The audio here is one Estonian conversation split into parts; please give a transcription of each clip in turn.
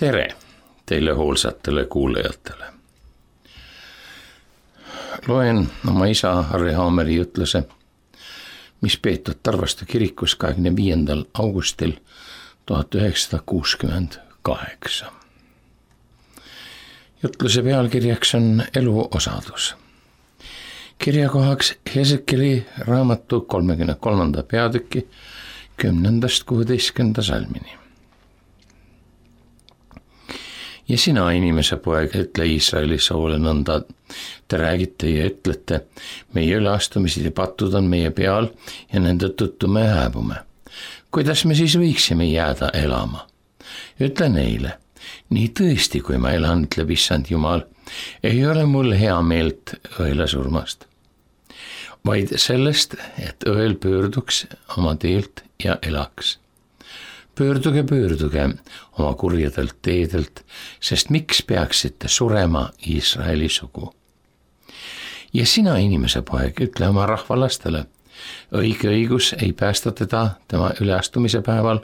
Tere teile hoolsatele kuulajatele. Loen oma isa Harri Haameri jutluse, mis peetud Tarvastu kirikus 25. augustil 1968. Jutluse pealkirjaks on elu osadus. Kirjakohaks Hesekeli raamatu 33. peatüki 10.–16. salmini. Ja sina, inimese poeg, ütle Iisraeli soole nõnda, te räägite ja ütlete, meie üleastumised ja patud on meie peal ja nende tõttu me hääbume. Kuidas me siis võiksime jääda elama? Ütle neile, nii tõesti, kui ma elan, ütleb issand Jumal, ei ole mul hea meelt õela surmast, vaid sellest, et õel pöörduks oma teelt ja elaks. Pöörduge oma kurjadelt teedelt, sest miks peaksite surema Iisraeli sugu? Ja sina, inimese poeg, ütle oma rahvalastele, õige õigus ei päästa teda tema üleastumise päeval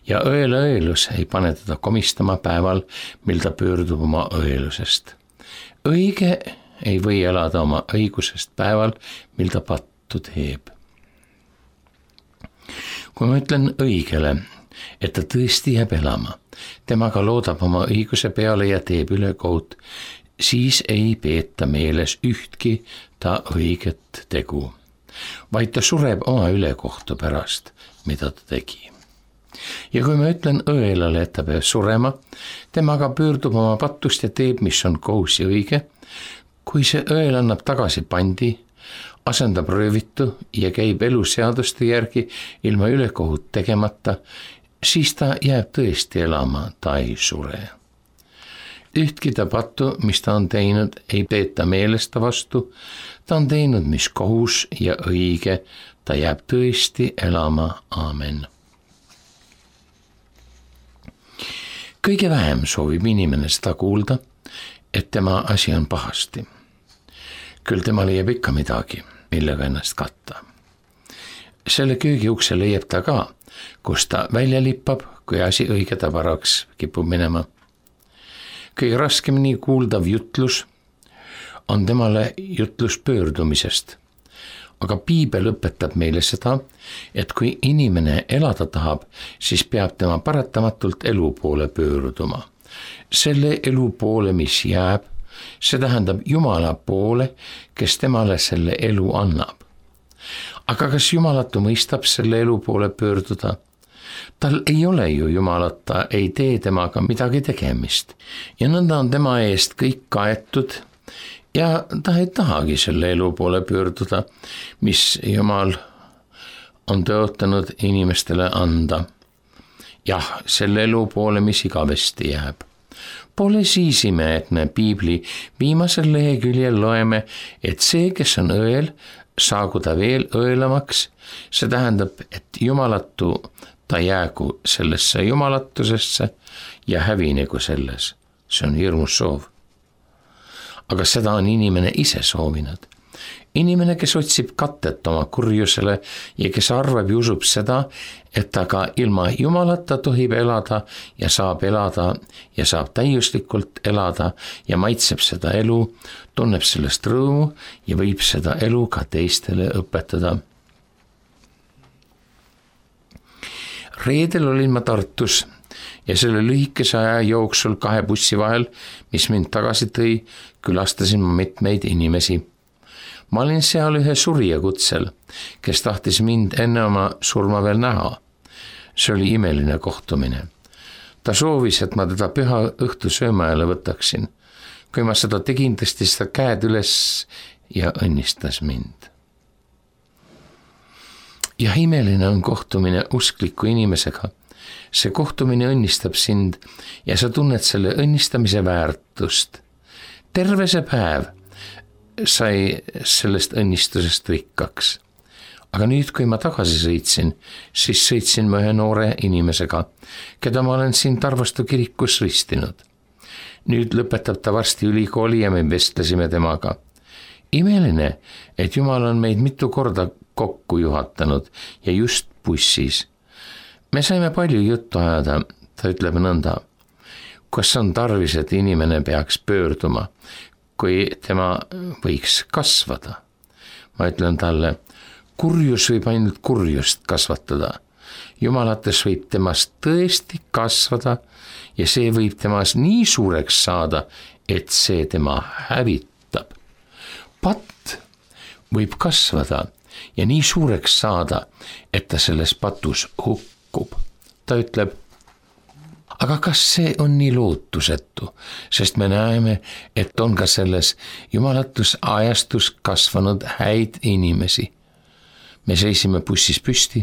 ja õelus ei pane teda komistama päeval, mil ta pöördub oma õelusest. Õige ei või elada oma õigusest päeval, mil ta pattu teeb. Kui ma ütlen õigele, et ta tõesti jääb elama, temaga loodab oma õiguse peale ja teeb ülekohut, siis ei peeta meeles ühtki ta õiget tegu, vaid ta sureb oma ülekohtu pärast, mida ta tegi. Ja kui ma ütlen õelale, et ta peab surema, temaga pöördub oma pattust ja teeb, mis on kohus ja õige, kui see õel annab tagasi pandi, asendab röövitu ja käib eluseaduste järgi ilma ülekohut tegemata, siis ta jääb tõesti elama, ta ei sure. Ühtki ta pattu, mis ta on teinud, ei peeta meelesta vastu, ta on teinud, mis kohus ja õige, ta jääb tõesti elama, aamen. Kõige vähem soovib inimene seda kuulda, et tema asi on pahasti. Küll tema leiab ikka midagi, millega ennast katta. Selle köögiukse leiab ta ka, kus ta välja lippab, kui asi õige tavaraks kipub minema. Kõige raskemini kuuldav jutlus on temale jutlus pöördumisest. Aga piibel õpetab meile seda, et kui inimene elada tahab, siis peab tema paratamatult elu poole pöörduma. Selle elu poole, mis jääb, see tähendab Jumala poole, kes temale selle elu annab. Aga kas Jumalatu mõistab selle elu poole pöörduda? Tal ei ole ju Jumalata, ei tee temaga midagi tegemist. Ja nõnda on tema eest kõik kaetud ja ta ei tahagi selle elu poole pöörduda, mis Jumal on tõotanud inimestele anda. Jah, selle elu poole, mis igavesti jääb. Pole siis ime, et me piibli viimasel leheküljel loeme, et see, kes on õel, saagu ta veel õelamaks, see tähendab, et Jumalatu ta jäägu sellesse jumalatusesse ja hävinegu selles. See on hirmus soov. Aga seda on inimene ise soovinud. Inimene, kes otsib katet oma kurjusele ja kes arvab ja usub seda, et ta ka ilma Jumalata tohib elada ja saab täiuslikult elada ja maitseb seda elu, tunneb sellest rõõmu ja võib seda elu ka teistele õpetada. Reedel olin ma Tartus ja selle lühikese aja jooksul 2 bussi vahel, mis mind tagasi tõi, külastasin ma mitmeid inimesi. Ma olin seal ühe surija kutsel, kes tahtis mind enne oma surma veel näha. See oli imeline kohtumine. Ta soovis, et ma teda püha õhtu söömaajale võtaksin. Kui ma seda tegin, tõstis ta käed üles ja õnnistas mind. Ja imeline on kohtumine uskliku inimesega. See kohtumine õnnistab sind ja sa tunned selle õnnistamise väärtust. Terve see päev sai sellest õnnistusest rikkaks. Aga nüüd, kui ma tagasi sõitsin, siis sõitsin ma ühe noore inimesega, keda ma olen siin Tarvastu kirikus ristinud. Nüüd lõpetab ta varsti ülikooli ja me vestlesime temaga. Imeline, et Jumal on meid mitu korda kokku juhatanud ja just bussis. Me saime palju juttu ajada, ta ütleb nõnda. kas on tarvis, et inimene peaks pöörduma, kui tema võiks kasvada? Ma ütlen talle, kurjus võib ainult kurjust kasvatada. Jumalates võib temast tõesti kasvada ja see võib temas nii suureks saada, et see tema hävitab. Patt võib kasvada ja nii suureks saada, et ta selles patus hukkub. Ta ütleb, aga kas see on nii lootusetu, sest me näeme, et on ka selles jumalatus ajastus kasvanud häid inimesi. Me seisime bussis püsti,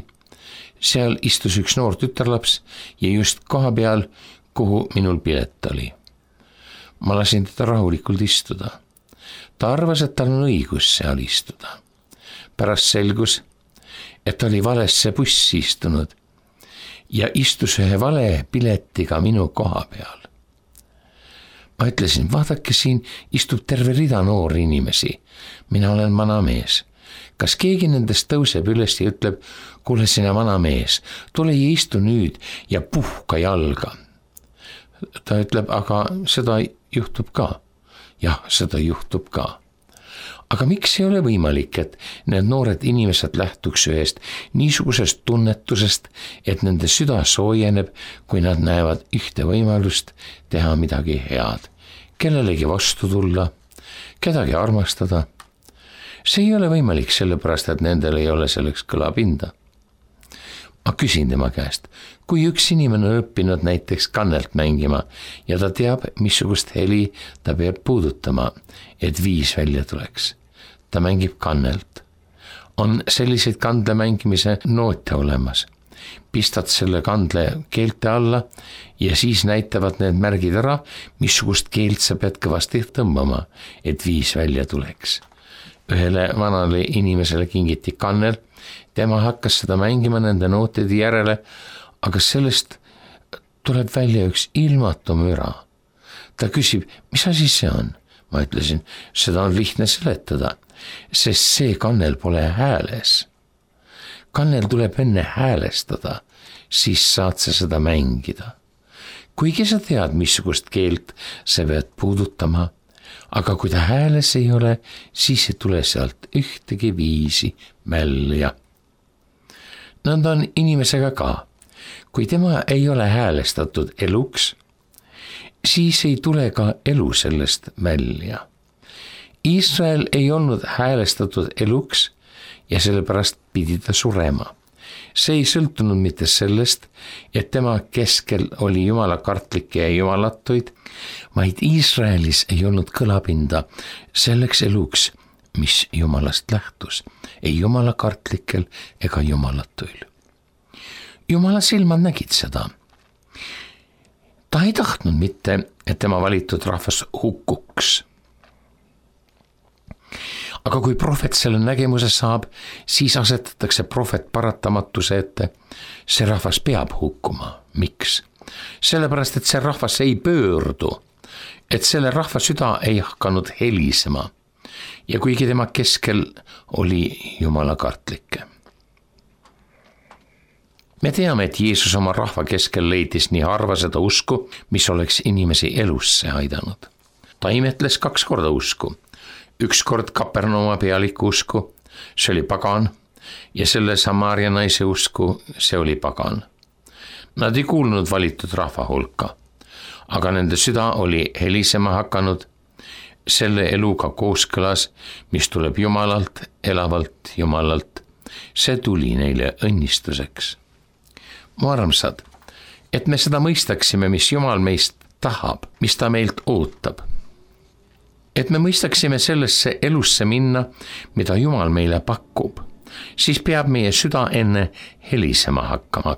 seal istus üks noor tütarlaps ja just koha peal, kuhu minul pilet oli. Ma lasin teda rahulikult istuda. Ta arvas, et tal on õigus seal istuda. Pärast selgus, et ta oli valesse bussi istunud ja istus ühe vale piletiga minu koha peal. Ma ütlesin, vaadake, siin istub terve rida noori inimesi. Mina olen vana mees. Kas keegi nendest tõuseb üles ja ütleb, kuule sina vana mees, tule ja istu nüüd ja puhka jalga. Ta ütleb, aga seda juhtub ka. Jah, seda juhtub ka. Aga miks ei ole võimalik, et need noored inimesed lähtuks ühest niisugusest tunnetusest, et nende süda soojeneb, kui nad näevad ühte võimalust teha midagi head, kellelegi vastu tulla, kedagi armastada? See ei ole võimalik sellepärast, et nendel ei ole selleks kõlapinda. Ma küsin tema käest, kui üks inimene on õppinud näiteks kannelt mängima ja ta teab, missugust heli ta peab puudutama, et viis välja tuleks. Ta mängib kannelt. On selliseid kandle mängimise noote olemas. Pistad selle kandle keelte alla ja siis näitavad need märgid ära, missugust keelt sa pead kõvasti tõmbama, et viis välja tuleks. Ühele vanale inimesele kingiti kannel, tema hakkas seda mängima nende nootide järele, aga sellest tuleb välja üks ilmatu müra. Ta küsib, mis asi see on? Ma ütlesin, seda on lihtne seletada, sest see kannel pole hääles. Kannel tuleb enne häälestada, siis saad sa seda mängida. Kuigi sa tead, missugust keelt sa pead puudutama, aga kui ta hääles ei ole, siis ei tule sealt ühtegi viisi välja. Nõnda on inimesega ka. Kui tema ei ole häälestatud eluks, siis ei tule ka elu sellest välja. Iisrael ei olnud häälestatud eluks ja sellepärast pidi ta surema. See ei sõltunud mitte sellest, et tema keskel oli jumalakartlikke ja jumalatuid, vaid Iisraelis ei olnud kõlapinda selleks eluks, mis jumalast lähtus, ei jumalakartlikel ega jumalatuil. Jumala silmad nägid seda. Ta ei tahtnud mitte, et tema valitud rahvas hukkuks. Aga kui prohvet selle nägemuse saab, siis asetatakse prohvet paratamatuse ette. See rahvas peab hukkuma. Miks? Sellepärast, et see rahvas ei pöördu, et selle rahva süda ei hakanud helisema. Ja kuigi tema keskel oli jumala kartlikke. Me teame, et Jeesus oma rahva keskel leidis nii harva seda usku, mis oleks inimesi elusse aidanud. Ta imetles 2 korda usku. 1 kord Kapernauma pealiku usku, see oli pagan, ja selle Samaaria naise usku, see oli pagan. Nad ei kuulnud valitud rahva hulka, aga nende süda oli helisema hakanud selle eluga kooskõlas, mis tuleb Jumalalt, elavalt Jumalalt. See tuli neile õnnistuseks. Mu armsad, et me seda mõistaksime, mis Jumal meist tahab, mis ta meilt ootab. Et me mõistaksime sellesse elusse minna, mida Jumal meile pakub, siis peab meie süda enne helisema hakkama.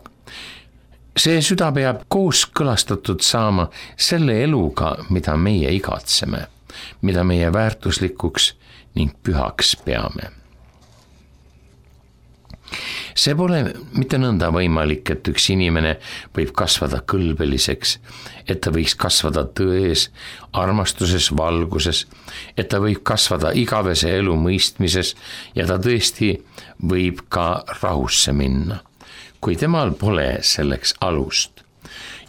See süda peab kooskõlastatud saama selle eluga, mida meie igatseme, mida meie väärtuslikuks ning pühaks peame. See pole mitte nõnda võimalik, et üks inimene võib kasvada kõlbeliseks, et ta võiks kasvada tões, armastuses, valguses, et ta võib kasvada igavese elu mõistmises ja ta tõesti võib ka rahusse minna, kui temal pole selleks alust.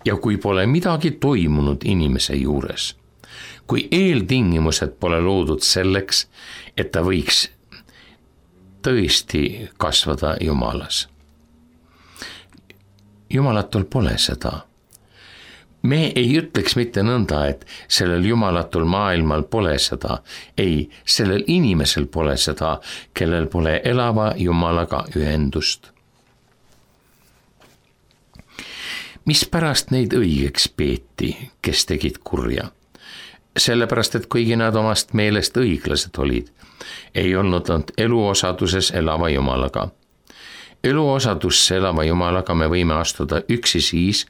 Ja kui pole midagi toimunud inimese juures, kui eeltingimused pole loodud selleks, et ta võiks tõesti kasvada Jumalas. Jumalatul pole seda. Me ei ütleks mitte nõnda, et sellel jumalatul maailmal pole seda. Ei, sellel inimesel pole seda, kellel pole elava Jumalaga ühendust. Mispärast neid õigeks peeti, kes tegid kurja? Sellepärast, et kuigi nad omast meelest õiglased olid, ei olnud nad eluosaduses elava Jumalaga. Eluosadusse elava Jumalaga me võime astuda üksi siis,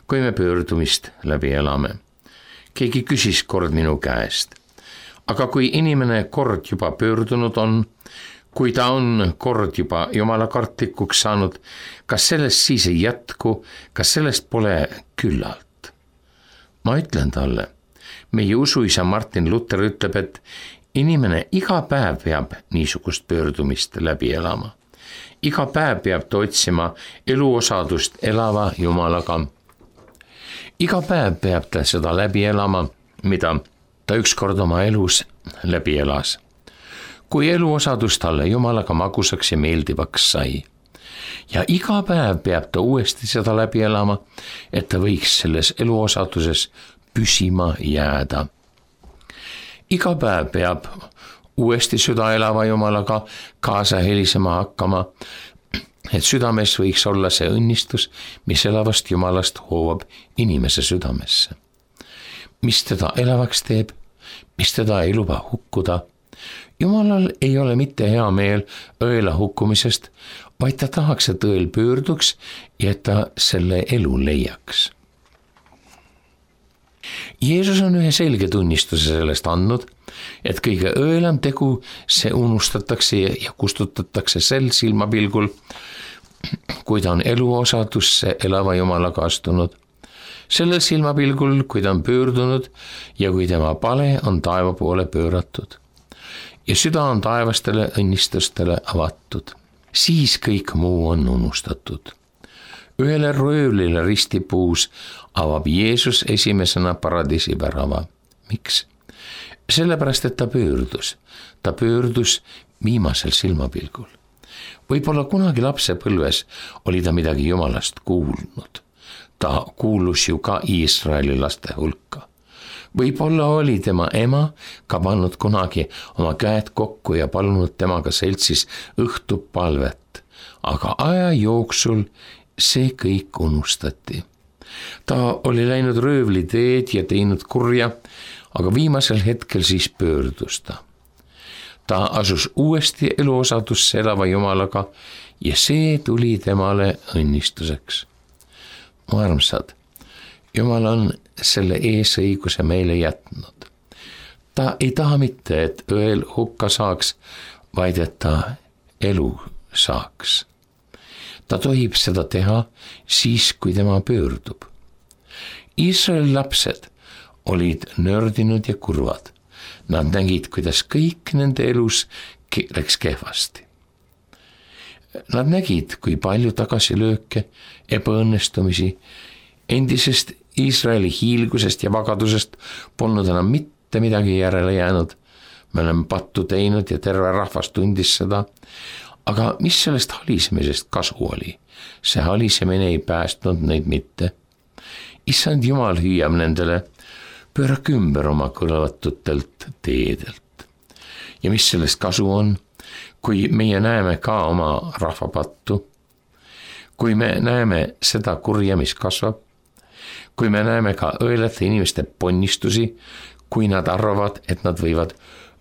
kui me pöördumist läbi elame. Keegi küsis kord minu käest, aga kui inimene kord juba pöördunud on, kui ta on kord juba Jumala kartlikuks saanud, kas sellest siis ei jätku, kas sellest pole küllalt? Ma ütlen talle, meie usuisa Martin Luther ütleb, et inimene iga päev peab niisugust pöördumist läbi elama. Iga päev peab ta otsima eluosadust elava Jumalaga. Iga päev peab ta seda läbi elama, mida ta ükskord oma elus läbi elas. Kui eluosadus talle Jumalaga magusaks ja meeldivaks sai. Ja iga päev peab ta uuesti seda läbi elama, et ta võiks selles eluosaduses püsima jääda. Iga päev peab uuesti süda elava Jumalaga kaasa helisema hakkama, et südames võiks olla see õnnistus, mis elavast Jumalast hoovab inimese südamesse. Mis teda elavaks teeb, mis teda ei luba hukkuda. Jumalal ei ole mitte hea meel õela hukkumisest, vaid ta tahaks, et õel pöörduks ja et ta selle elu leiaks. Jeesus on ühe selge tunnistuse sellest andnud, et kõige õelam tegu see unustatakse ja kustutatakse sel silmapilgul, kui ta on eluosadusse elava Jumalaga astunud. Sellel silmapilgul, kui ta on pöördunud ja kui tema pale on taeva poole pööratud ja süda on taevastele õnnistustele avatud, siis kõik muu on unustatud. Ühele röövlile ristipuus avab Jeesus esimesena paradiisi värava. Miks? Sellepärast, et ta pöördus viimasel silmapilgul. Võib-olla kunagi lapsepõlves oli ta midagi Jumalast kuulnud. Ta kuulus ju ka Iisraeli laste hulka. Võib-olla oli tema ema ka pannud kunagi oma käed kokku ja palunud temaga seltsis õhtupalvet, aga aja jooksul see kõik unustati. Ta oli läinud röövli teed ja teinud kurja, aga viimasel hetkel siis pöördus ta. Ta asus uuesti eluosadusse elava Jumalaga ja see tuli temale õnnistuseks. Mu armsad, Jumal on selle eesõiguse meile jätnud. Ta ei taha mitte, et õel hukka saaks, vaid et ta elu saaks. Ta tohib seda teha siis, kui tema pöördub. Iisraeli lapsed olid nördinud ja kurvad. Nad nägid, kuidas kõik nende elus läks kehvasti. Nad nägid, kui palju tagasilööke, ebaõnnestumisi, endisest Iisraeli hiilgusest ja vagadusest polnud enam mitte midagi järele jäänud. Me oleme pattu teinud ja terve rahvas tundis seda. Aga mis sellest halisemisest kasu oli? See halisemine ei päästnud neid mitte. Issand Jumal hüüab nendele, pöörake ümber oma kõlvatutelt teedelt. Ja mis sellest kasu on, kui meie näeme ka oma rahvapattu, kui me näeme seda kurja, mis kasvab, kui me näeme ka õelate inimeste ponnistusi, kui nad arvavad, et nad võivad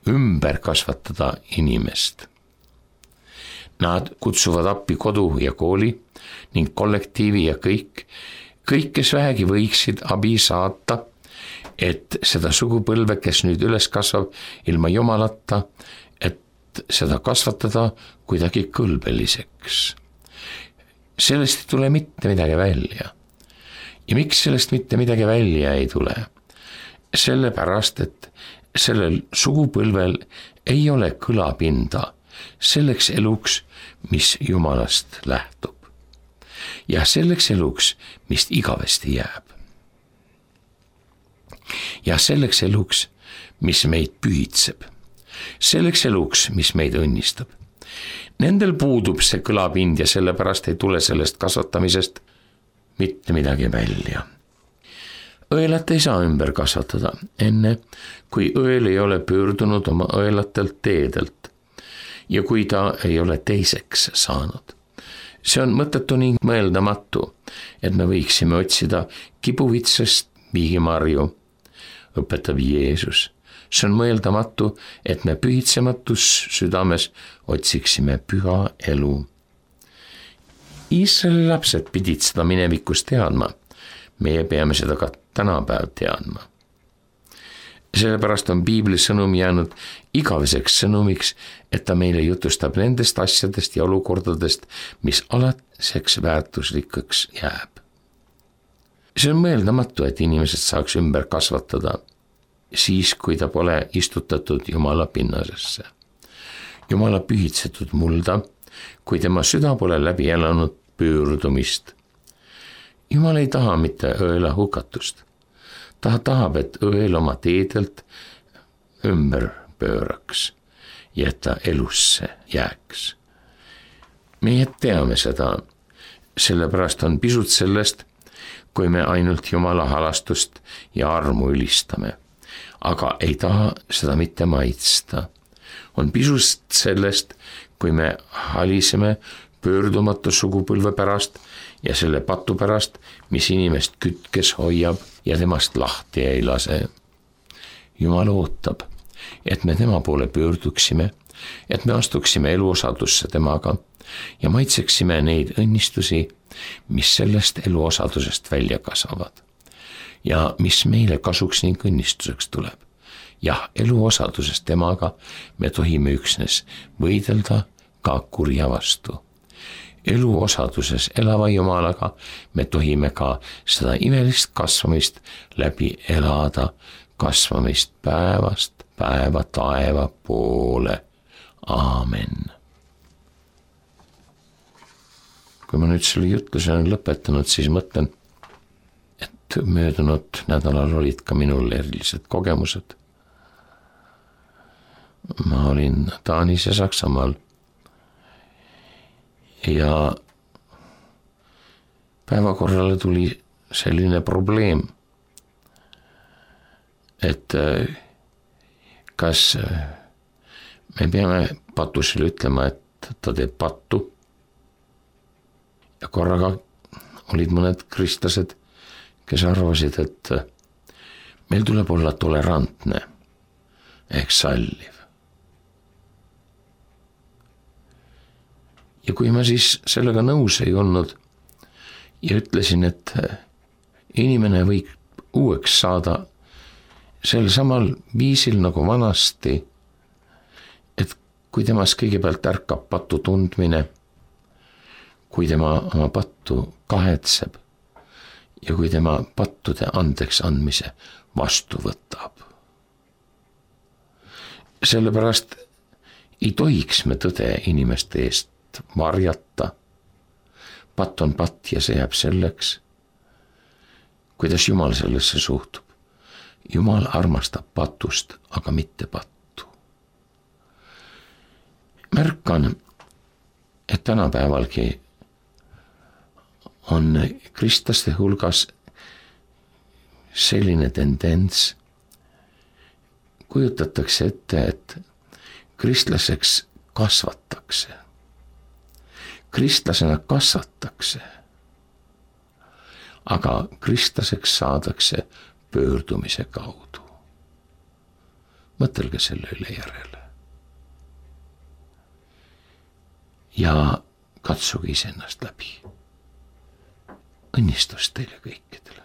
ümber kasvatada inimest. Nad kutsuvad appi kodu ja kooli ning kollektiivi ja kõik, kes vähegi võiksid abi saata, et seda sugupõlve, kes nüüd üles kasvab ilma Jumalata, et seda kasvatada kuidagi kõlbeliseks. Sellest ei tule mitte midagi välja. Ja miks sellest mitte midagi välja ei tule? Sellepärast, et sellel sugupõlvel ei ole kõlapinda selleks eluks, mis Jumalast lähtub. Ja selleks eluks, mis igavesti jääb. ja selleks eluks, mis meid pühitseb, selleks eluks, mis meid õnnistab. Nendel puudub see kõlapind ja sellepärast ei tule sellest kasvatamisest mitte midagi välja. Õelat ei saa ümber kasvatada enne, kui õel ei ole pöördunud oma õelatelt teedelt ja kui ta ei ole teiseks saanud. See on mõttetu ning mõeldamatu, et me võiksime otsida kibuvitsast viigimarju, õpetab Jeesus. See on mõeldamatu, et me pühitsematus südames otsiksime püha elu. Iisraeli lapsed pidid seda minevikus teadma. Meie peame seda ka tänapäev teadma. Sellepärast on Piibli sõnum jäänud igaveseks sõnumiks, et ta meile jutustab nendest asjadest ja olukordadest, mis alatiseks väärtuslikuks jääb. See on mõeldamatu, et inimesed saaks ümber kasvatada siis, kui ta pole istutatud Jumala pinnasesse. Jumala pühitsetud mulda, kui tema süda pole läbi elanud pöördumist. Jumal ei taha mitte õela hukatust. Ta tahab, et õel oma teedelt ümber pööraks ja et ta elusse jääks. Meie teame seda, sellepärast on pisut sellest, kui me ainult Jumala halastust ja armu ülistame, aga ei taha seda mitte maitsta. On pisut sellest, kui me haliseme pöördumatu sugupõlve pärast ja selle patu pärast, mis inimest kütkes hoiab ja temast lahti ei lase. Jumal ootab, et me tema poole pöörduksime, et me astuksime eluosadusse temaga ja maitseksime neid õnnistusi, mis sellest eluosadusest välja kasvavad ja mis meile kasuks ning õnnistuseks tuleb. Jah, eluosadusest temaga me tohime üksnes võidelda ka kurja vastu. Eluosaduses elava Jumalaga me tohime ka seda imelist kasvamist läbi elada, kasvamist päevast päeva taeva poole. Aamen. Kui ma nüüd selle jutluse olen lõpetanud, siis mõtlen, et möödunud nädalal olid ka minul erilised kogemused. Ma olin Taanis ja Saksamaal ja päevakorrale tuli selline probleem, et kas me peame patusele ütlema, et ta teeb pattu. Ja korraga olid mõned kristlased, kes arvasid, et meil tuleb olla tolerantne ehk salliv. Ja kui ma siis sellega nõus ei olnud ja ütlesin, et inimene võib uueks saada sel samal viisil nagu vanasti, et kui temas kõigepealt ärkab patu tundmine, kui tema oma pattu kahetseb ja kui tema pattude andeks andmise vastu võtab. Sellepärast ei tohiks me tõde inimeste eest varjata. Patt on patt ja see jääb selleks, kuidas Jumal sellesse suhtub. Jumal armastab patust, aga mitte pattu. Märkan, et tänapäevalgi on kristlaste hulgas selline tendents, kujutatakse ette, et kristlaseks kasvatakse. Kristlasena kasvatakse, aga kristlaseks saadakse pöördumise kaudu. Mõtelge selle üle järele. Ja katsuge iseennast läbi. Õnnistust teile kõikidele.